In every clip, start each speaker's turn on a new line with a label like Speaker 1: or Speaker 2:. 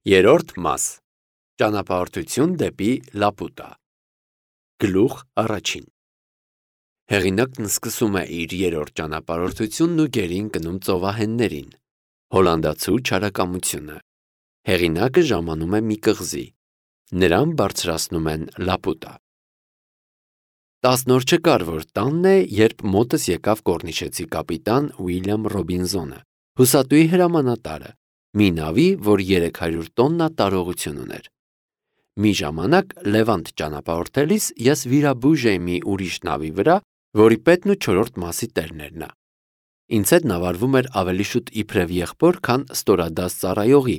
Speaker 1: Երրորդ մաս. Ճանապարհորդություն դեպի Լապուտա։ Գլուխ առաջին. Հեղինակն սկսում է իր երրորդ ճանապարհորդությունն ու գերին գնում ծովահեններին։ Հոլանդացու չարակամությունը։ Հեղինակը ժամանում է մի կղզի։ Նրան բարձրացնում են Լապուտա։ 10 օր չկար, որ տանն է, երբ մոտս եկավ կոռնիշեցի կապիտան Ուիլյամ Ռոբինզոնը, հուսատուի հրամանատարը, մի նավի, որ 300 տոննա տարողություն ուներ։ Մի ժամանակ Լևանտ ճանապարհորդելիս ես վիրաբույժ էի մի ուրիշ նավի վրա, որի պետն ու 4-րդ մասի տերն էր նա։ Ինձ հետ նավարվում էր ավելի շուտ իբրև եղբոր, քան ստորադաս ծառայողի,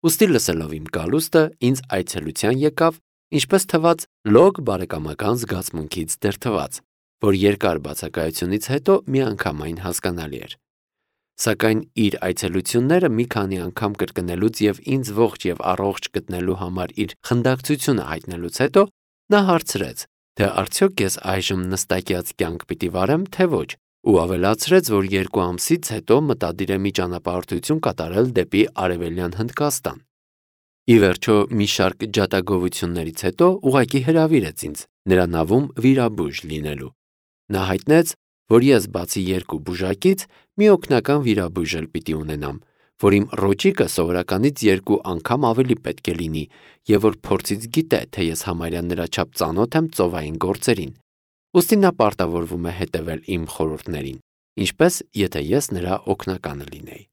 Speaker 1: ուստի լսելով իմ գալուստը, ինձ այցելության եկավ, ինչպես թվաց, լոկ բարեկամական զգացմունքից դրդված, որ երկար բացակայությունից հետո միանգամայն հասկանալի էր։ Սակայն իր այցելությունները մի քանի անգամ կրկնելուց եւ ինձ ողջ եւ առողջ գտնելու համար իր խնդակցությունը հայտնելուց հետո նա հարցրեց, թե արդյոք ես այժմ նստակյաց կյանք պիտի վարեմ, թե ոչ, ու ավելացրեց, որ 2 ամսից հետո մտադիր է մի ճանապարհորդություն կատարել դեպի Արևելյան Հնդկաստան։ Ի վերջո մի շարք ջատագովություններից հետո ուղղակի հրավիրեց ինձ նրա նավում վիրաբույժ լինելու։ Նա հայտնեց, որ ես բացի 2 բուժակից մի օգնական վիրաբույժ էլ պիտի ունենամ, որ իմ ռոճիկը սովորականից 2 անգամ ավելի պետք է լինի եւ որ փորձից գիտե, թե ես համարյա նրա չափ ծանոթ եմ ծովային գործերին։ Ուստի նա պարտավորվում է հետևել իմ խորհուրդներին, ինչպես եթե ես նրա օգնականը լինեի։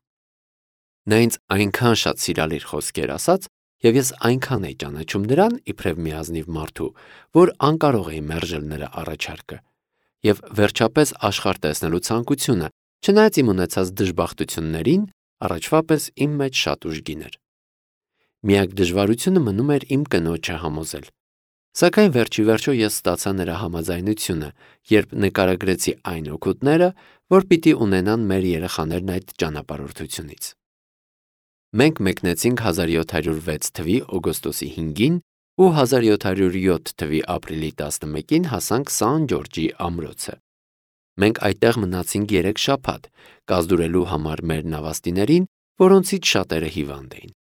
Speaker 1: Նա ինձ այնքան շատ սիրալիր խոսքեր ասաց, եւ ես այնքան էի ճանաչում նրան իբրև մի ազնիվ մարդու, որ անկարող էի մերժել նրա առաջարկը։ Եվ վերջապես աշխարհ տեսնելու ցանկությունը, չնայած իմ ունեցած դժբախտություններին, առաջվա պես իմ մեջ շատ ուժգին էր։ Միակ դժվարությունը մնում էր իմ կնոջը համոզել։ Սակայն վերջիվերջո ես ստացա նրա համաձայնությունը, երբ նկարագրեցի այն օգուտները, որ պիտի ունենան մեր երեխաներն այդ ճանապարհորդությունից։ Մենք մեկնեցինք 1706 թվի օգոստոսի 5-ին ու 1707 թվի ապրիլի 11-ին հասանք Սան Ջորջի ամրոցը։ Մենք այդտեղ մնացինք 3 շաբաթ, կազդուրելու համար մեր նավաստիներին, որոնցից շատերը հիվանդ էին։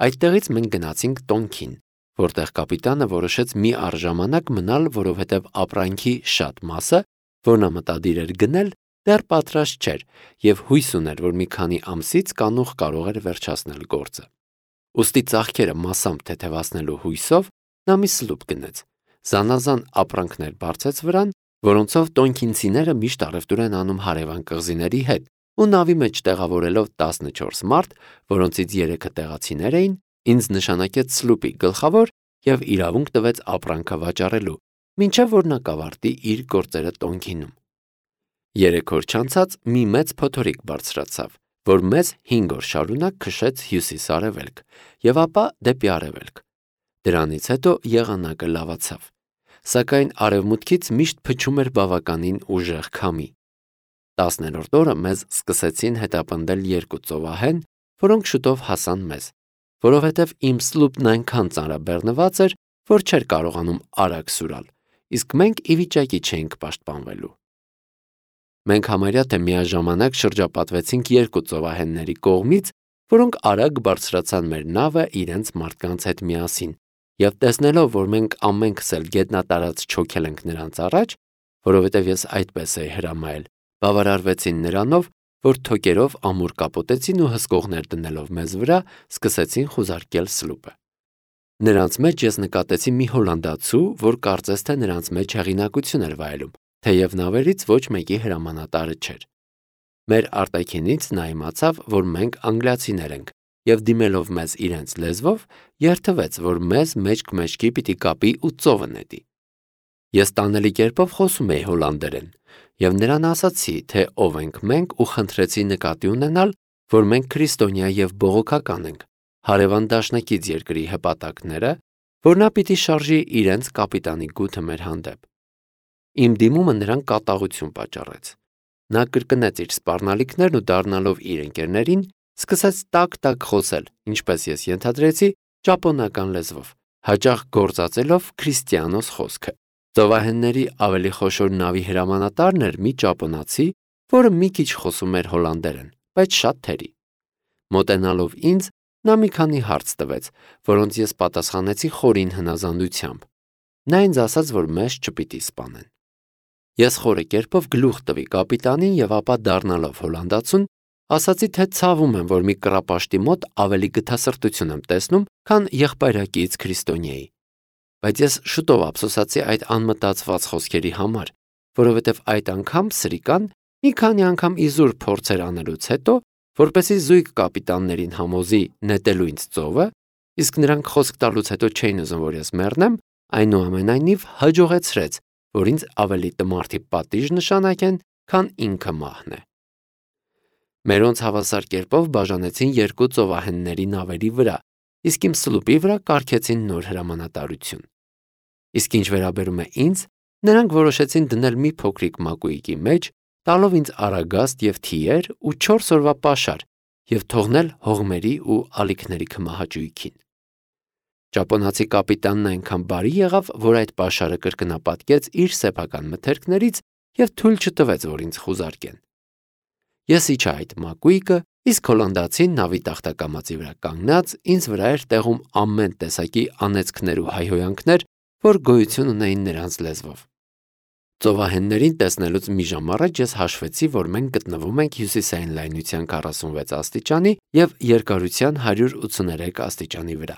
Speaker 1: Այդտեղից մենք գնացինք Տոնքին, որտեղ կապիտանը որոշեց մի առժամանակ մնալ, որովհետև ապրանքի շատ մասը, որ նա մտադիր էր գնել, դեռ պատրաստ չէր եւ հույս ուներ, որ մի քանի ամսից կանուխ կարող էր վերջացնել գործը։ Ուստի ծաղկերը մասամբ թեթևացնելու հույսով նա մի սլուպ գնեց։ Զանազան ապրանքներ բարձեց վրան, որոնցով տոնքինցիները միշտ առևտուր են անում հարևան կղզիների հետ, ու նավի մեջ տեղավորելով 14 մարդ, որոնցից 3-ը տեղացիներ էին, ինձ նշանակեց սլուպի գլխավոր եւ իրավունք տվեց ապրանքը վաճառելու, մինչեւ որ նա կավարտի իր գործերը Տոնքինում։ 3 օր չանցած մի մեծ փոթորիկ բարձրացավ, որ մեզ 5 օր շարունակ քշեց հյուսիս-արևելք եւ ապա դեպի արևելք։ Դրանից հետո եղանակը լավացավ, սակայն արևմուտքից միշտ փչում էր բավականին ուժեղ քամի։ 10-րդ օրը մեզ սկսեցին հետապնդել 2 ծովահեն, որոնք շուտով հասան մեզ, որովհետև իմ սլուպն այնքան ծանրաբեռնված էր, որ չէր կարողանում արագ սուրալ, իսկ մենք ի վիճակի չէինք պաշտպանվելու։ Մենք համարյա թե միաժամանակ շրջապատվեցինք 2 ծովահենների կողմից, որոնք արագ բարձրացան մեր նավը իրենց մարդկանց հետ միասին, եւ տեսնելով, որ մենք ամենքս էլ գետնատարած չոքել ենք նրանց առաջ, որովհետև ես այդպես էի հրամայել, բավարարվեցին նրանով, որ թոկերով ամուր կապոտեցին ու հսկողներ դնելով մեզ վրա, սկսեցին խուզարկել սլուպը։ Նրանց մեջ ես նկատեցի մի հոլանդացու, որ կարծես թե նրանց մեջ հեղինակություն էր վայելում, թեև նավերից ոչ մեկի հրամանատարը չէր։ Մեր արտաքինից նա իմացավ, որ մենք անգլիացիներ ենք, եւ դիմելով մեզ իրենց լեզվով, երթվեց, որ մեզ մեջք-մեջքի պիտի կապի ու ծովը նետի։ Ես տանելի կերպով խոսում էի հոլանդերեն, եւ նրան ասացի, թե ով ենք մենք ու խնդրեցի նկատի ունենալ, որ մենք քրիստոնյա եւ բողոքական ենք, հարևան դաշնակից երկրի հպատակները, որ նա պիտի շարժի իրենց կապիտանի գութը մեր հանդեպ։ Իմ դիմումը նրան կատաղություն պատճառեց։ Նա կրկնեց իր սպառնալիքներն ու դառնալով իր ընկերներին, սկսեց տակ-տակ խոսել, ինչպես ես ենթադրեցի, ճապոնական լեզվով, հաճախ գործածելով քրիստիանոս խոսքը։ Ծովահենների ավելի խոշոր նավի հրամանատարն էր մի ճապոնացի, որը մի քիչ խոսում էր հոլանդերեն, բայց շատ թերի։ Մոտենալով ինձ, նա մի քանի հարց տվեց, որոնց ես պատասխանեցի խորին հնազանդությամբ։ Նա ինձ ասաց, որ մեզ չպիտի սպանեն։ Ես խորը կերպով գլուխ տվի կապիտանին եւ ապա դառնալով հոլանդացուն, ասացի, թե ցավում եմ, որ մի կռապաշտի մոտ ավելի գթասրտություն եմ տեսնում, քան եղբայրակից քրիստոնյայի։ Բայց ես շուտով ափսոսացի այդ անմտածված խոսքերի համար, որովհետև այդ անգամ սրիկան մի քանի անգամ իզուր փորձեր անելուց հետո, որպեսզի զույգ կապիտաններին համոզի նետելու ինձ ծովը, իսկ նրանք խոսք տալուց հետո չէին ուզում, որ ես մեռնեմ, այնուամենայնիվ հաջողեցրեց, որ ինձ ավելի տմարդի պատիժ նշանակեն, քան ինքը մահն է։ Մերոնց հավասար կերպով բաժանեցին երկու ծովահենների նավերի վրա, իսկ իմ սլուպի վրա կարգեցին նոր հրամանատարություն։ Իսկ ինչ վերաբերում է ինձ, նրանք որոշեցին դնել մի փոքրիկ մակույկի մեջ, տալով ինձ արագաստ եւ թիեր ու 4 օրվա պաշար եւ թողնել հողմերի ու ալիքների քմահաճույքին։ Ճապոնացի կապիտանն այնքան բարի եղավ, որ այդ պաշարը կրկնապատկեց իր սեփական մթերքներից եւ թույլ չտվեց, որ ինձ խուզարկեն։ Ես իջա այդ մակույկը, իսկ հոլանդացին նավի տախտակամածի վրա կանգնած ինձ վրա էր տեղում ամեն տեսակի անեծքներ ու հայհոյանքներ, որ գոյություն ունեին նրանց լեզվով։ Ծովահեններին տեսնելուց մի ժամ առաջ ես հաշվեցի, որ մենք գտնվում ենք հյուսիսային լայնության 46 աստիճանի եւ երկարության 183 աստիճանի վրա։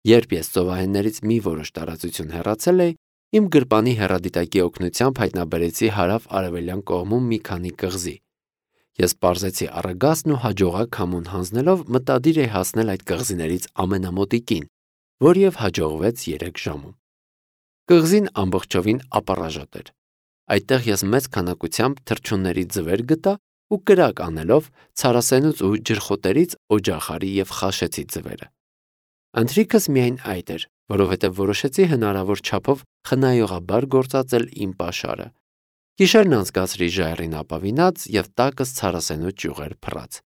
Speaker 1: Երբ ես ծովահեններից մի որոշ տարածություն հեռացել էի, իմ գրպանի հեռադիտակի օգնությամբ հայտնաբերեցի հարավ-արևելյան կողմում մի քանի կղզի։ Ես պարզեցի առագաստն ու հաջողակ համուն հանձնելով մտադիր էի հասնել այդ կղզիներից ամենամոտիկին, որ եւ հաջողվեց 3 ժամում։ Կղզին ամբողջովին ապառաժոտ էր։ Այդտեղ ես մեծ քանակությամբ թռչունների ձվեր գտա ու կրակ անելով ցարասենուց ու ջրխոտերից օջախարի եւ խաշեցի ձվերը։ Ընթրիքս միայն այդ էր, որովհետև որոշեցի հնարավոր չափով խնայողաբար գործածել իմ պաշարը։ Գիշերն անցկացրի ժայռին ապավինած եւ տակս ցարասենու ճյուղեր փռած։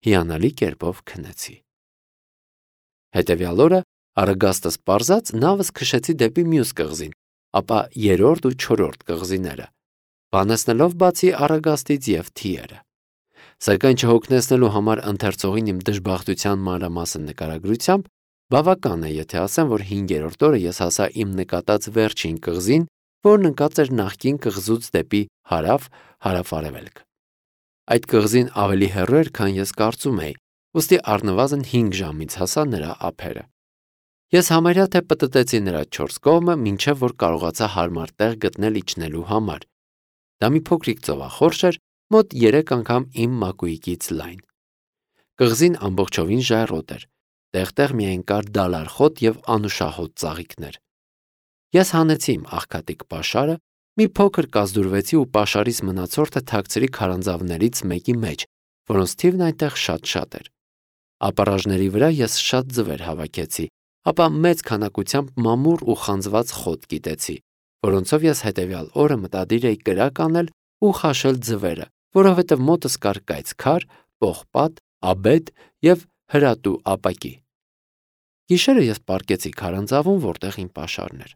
Speaker 1: Հիանալի կերպով քնեցի։ Հետևյալ օրը առագաստս պարզած նավս քշեցի դեպի մյուս կղզին, ապա 3-րդ ու 4-րդ կղզիները, բանեցնելով բացի առագաստից եւ թիերը։ Սակայն չհոգնեցնելու համար ընթերցողին իմ դժբախտության մանրամասն նկարագրությամբ բավական է, եթե ասեմ, որ 5-րդ օրը ես հասա իմ նկատած վերջին կղզին, որն ընկած էր նախկին կղզուց դեպի հարավ-հարավ-արևելք։ Այդ կղզին ավելի հեռու էր, քան ես կարծում էի, ուստի առնվազն 5 ժամից հասա նրա ափերը։ Ես համարյա թե պտտեցի նրա 4 կողմը, մինչև որ կարողացա հարմար տեղ գտնել իջնելու համար։ Դա մի փոքրիկ ծովախորշ էր, մոտ 3 անգամ իմ մակույկից լայն։ Կղզին ամբողջովին ժայռոտ էր, տեղ-տեղ միայն կար դալար խոտ եւ անուշահոտ ծաղիկներ։ Ես հանեցի իմ աղքատիկ պաշարը, մի փոքր կազդուրվեցի ու պաշարից մնացորդը թաքցրի քարանձավներից մեկի մեջ, որոնց թիվն այնտեղ շատ էր։ Ապառաժների վրա ես շատ ձվեր հավաքեցի, ապա մեծ քանակությամբ մամուռ ու խանձված խոտ կիտեցի, որոնցով ես հետևյալ օրը մտադիր էի կրակ անել ու խաշել ձվերը, որովհետև մոտս կար կայծքար, պողպատ, աբետ եւ հրատու ապակի։ Գիշերը ես պառկեցի քարանձավում, որտեղ իմ պաշարն էր։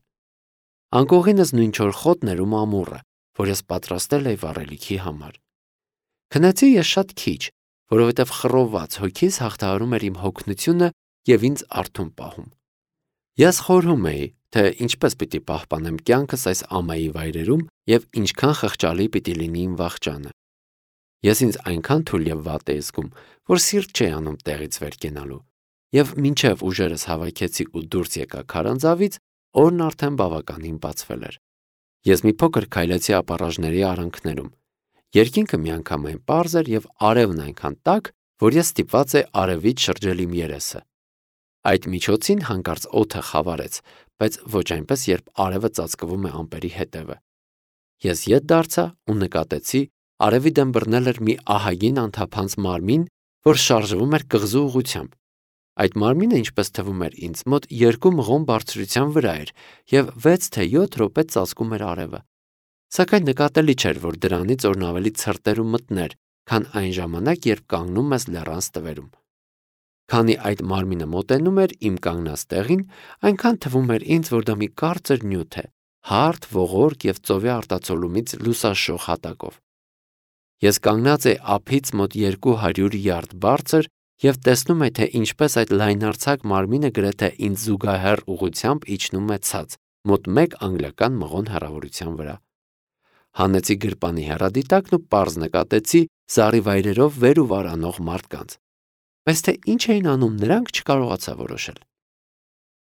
Speaker 1: Անկողինս նույնչոր խոտն էր ու մամուռը, որ ես պատրաստել էի վառելիքի համար։ Քնեցի ես շատ քիչ, որովհետև խռովված հոգիս հաղթահարում էր իմ հոգնությունը եւ ինձ արթուն պահում։ Ես խորհում էի, թե ինչպես պիտի պահպանեմ կյանքս այս ամայի վայրերում եւ ինչքան խղճալի պիտի լինի իմ վախճանը։ Ես ինձ այնքան թույլ եւ վատ էի զգում, որ սիրտ չէի անում տեղից վեր կենալու, եւ մինչեւ ուժերս հավաքեցի ու դուրս եկա քարանձավից, օրն արդեն բավականին բացվել էր։ Ես մի փոքր քայլեցի ապառաժների արանքներում։ Երկինքը միանգամայն պարզ էր եւ արևն այնքան տաք, որ ես ստիպված էի արևից շրջել իմ երեսը։ Այդ միջոցին հանկարծ օդը խավարեց, բայց ոչ այնպես, երբ արևը ծածկվում է ամպերի հետևը։ Ես ետ դարձա ու նկատեցի, արևի դեմ բռնել էր մի ահագին անթափանց մարմին, որ շարժվում էր կղզու ուղղությամբ։ Այդ մարմինը, ինչպես թվում էր ինձ, մոտ 2 մղոն բարձրության վրա էր եւ 6 թե 7 րոպե ծածկում էր արևը։ Սակայն նկատելի չէր, որ դրանից օրն ավելի ցրտեր ու մթներ, քան այն ժամանակ, երբ կանգնում ես լեռան ստվերում։ Քանի այդ մարմինը մոտենում էր իմ կանգնած տեղին, այնքան թվում էր ինձ, որ դա մի կարծր նյութ է, հարթ, ողորկ եւ ծովի արտացոլումից լուսաշող հատակով։ Ես կանգնած էի ափից մոտ 200 յարդ բարձր և տեսնում է, թե ինչպես այդ լայնարձակ մարմինը գրեթե ինձ զուգահեռ ուղղությամբ իջնում է ցած, մոտ 1 անգլիական մղոն հեռավորության վրա։ Հանեցի գրպանի հեռադիտակն ու պարզ նկատեցի զառիվայրերով վեր ու վար անող մարդկանց, բայց թե ինչ էին անում նրանք չկարողացա որոշել։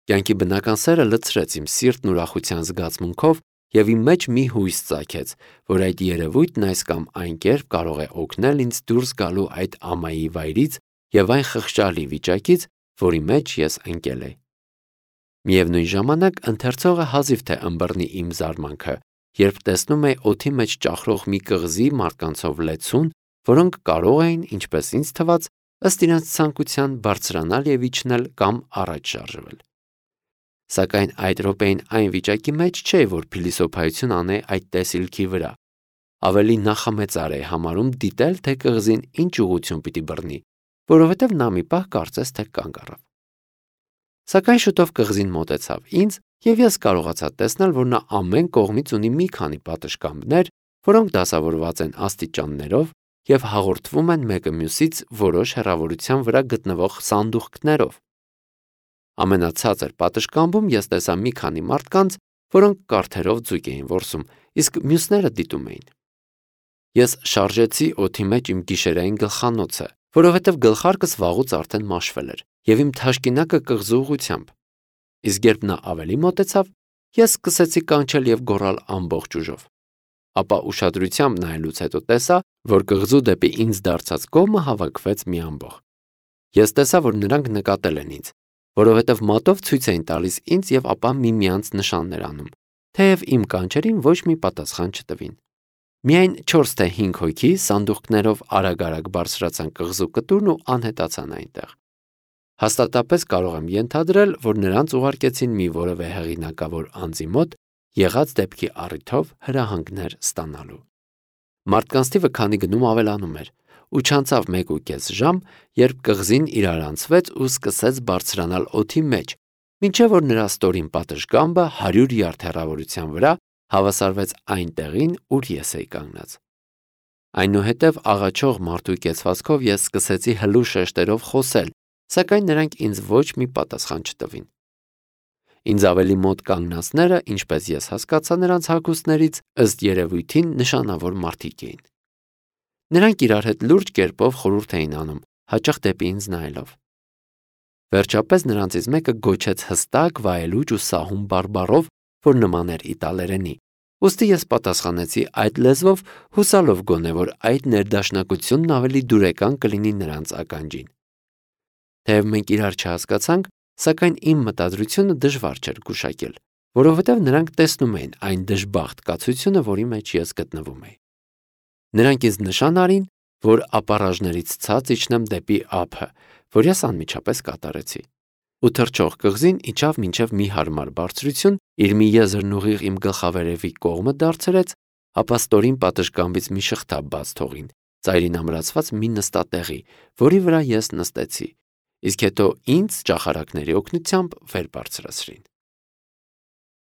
Speaker 1: Կյանքի բնական սերը լցրեց իմ սիրտն ուրախության զգացմունքով և իմ մեջ մի հույս ծագեց, որ այդ երևույթն այս կամ այն կերպ կարող է օգնել ինձ դուրս գալու այդ ամայի վայրից և այն խղճալի վիճակից, որի մեջ ես ընկել էի։ Միևնույն ժամանակ ընթերցողը հազիվ թե ըմբռնի իմ զարմանքը, երբ տեսնում է օդի մեջ ճախրող մի կղզի մարդկանցով լեցուն, որոնք կարող էին, ինչպես ինձ թվաց, ըստ իրենց ցանկության բարձրանալ և իջնել կամ առաջ շարժվել։ Սակայն այդ րոպեին այն վիճակի մեջ չէի, որ փիլիսոփայություն անեի այդ տեսիլքի վրա, ավելի նախամեծար էի համարում դիտել, թե կղզին ինչ ուղղություն պիտի բռնի, որովհետև նա մի պահ կարծես թե կանգ առավ։ Սակայն շուտով կղզին մոտեցավ ինձ, և ես կարողացա տեսնել, որ նա ամեն կողմից ունի մի քանի պատշգամբներ, որոնք դասավորված են աստիճաններով և հաղորդվում են մեկը մյուսից որոշ հեռավորության վրա գտնվող սանդուղքներով։ Ամենացածր պատշգամբում ես տեսա մի քանի մարդկանց, որոնք կարթերով ձուկ էին որսում, իսկ մյուսները դիտում էին։ Ես շարժեցի օդի մեջ իմ գիշերային գլխանոցը, որովհետև գլխարկս վաղուց արդեն մաշվել էր, և իմ թաշկինակը կղզու ուղղությամբ։ Իսկ երբ նա ավելի մոտեցավ, ես սկսեցի կանչել և գոռալ ամբողջ ուժով։ Ապա ուշադրությամբ նայելուց հետո տեսա, որ կղզու դեպի ինձ դարձած կողմը հավաքվեց մի ամբոխ։ Ես տեսա, որ նրանք նկատել են ինձ, որովհետև մատով ցույց էին տալիս ինձ և ապա միմյանց նշաններ անում, թեև իմ կանչերին ոչ մի պատասխան չտվին։ Միայն 4 թե 5 հոգի սանդուղքներով արագ-արագ բարձրացան կղզու կտուրն ու անհետացան այնտեղ։ Հաստատապես կարող եմ ենթադրել, որ նրանց ուղարկեցին մի որևէ հեղինակավոր անձի մոտ եղած դեպքի առիթով հրահանգներ ստանալու։ Մարդկանց թիվը քանի գնում ավելանում էր, ու չանցավ 1.5 ժամ, երբ կղզին իրարանցվեց ու սկսեց բարձրանալ օդի մեջ, մինչև որ նրա ստորին պատշգամբը 100 յարդ հեռավորության վրա հավասարվեց այն տեղին, ուր ես էի կանգնած։ Այնուհետև աղաչող մարդու կեցվածքով ես սկսեցի հլու շեշտերով խոսել, սակայն նրանք ինձ ոչ մի պատասխան չտվին։ Ինձ ավելի մոտ կանգնածները, ինչպես ես հասկացա նրանց հագուստներից, ըստ երևույթին նշանավոր մարդիկ էին։ Նրանք իրար հետ լուրջ կերպով խորհուրդ էին անում, հաճախ դեպի ինձ նայելով։ Վերջապես նրանցից մեկը գոչեց հստակ, վայելուչ ու սահուն բարբառով, որ նման էր իտալերենի, ուստի ես պատասխանեցի այդ լեզվով, հուսալով գոնե, որ այդ ներդաշնակությունն ավելի դուրեկան կլինի նրանց ականջին։ Թեև մենք իրար չհասկացանք, սակայն իմ մտադրությունը դժվար չէր գուշակել, որովհետև նրանք տեսնում էին այն դժբախտ կացությունը, որի մեջ ես գտնվում էի։ Նրանք ինձ նշան արին, որ ապառաժներից ցած իջնեմ դեպի ափը, որ ես անմիջապես կատարեցի։ Ու թռչող կղզին իջավ մինչև մի հարմար բարձրություն, իր մի եզրն ուղիղ իմ գլխավերևի կողմը դարձրեց, ապա ստորին պատշգամբից մի շղթա բաց թողին, ծայրին ամրացված մի նստատեղի, որի վրա ես նստեցի, իսկ հետո ինձ ճախարակների օգնությամբ վեր բարձրացրին։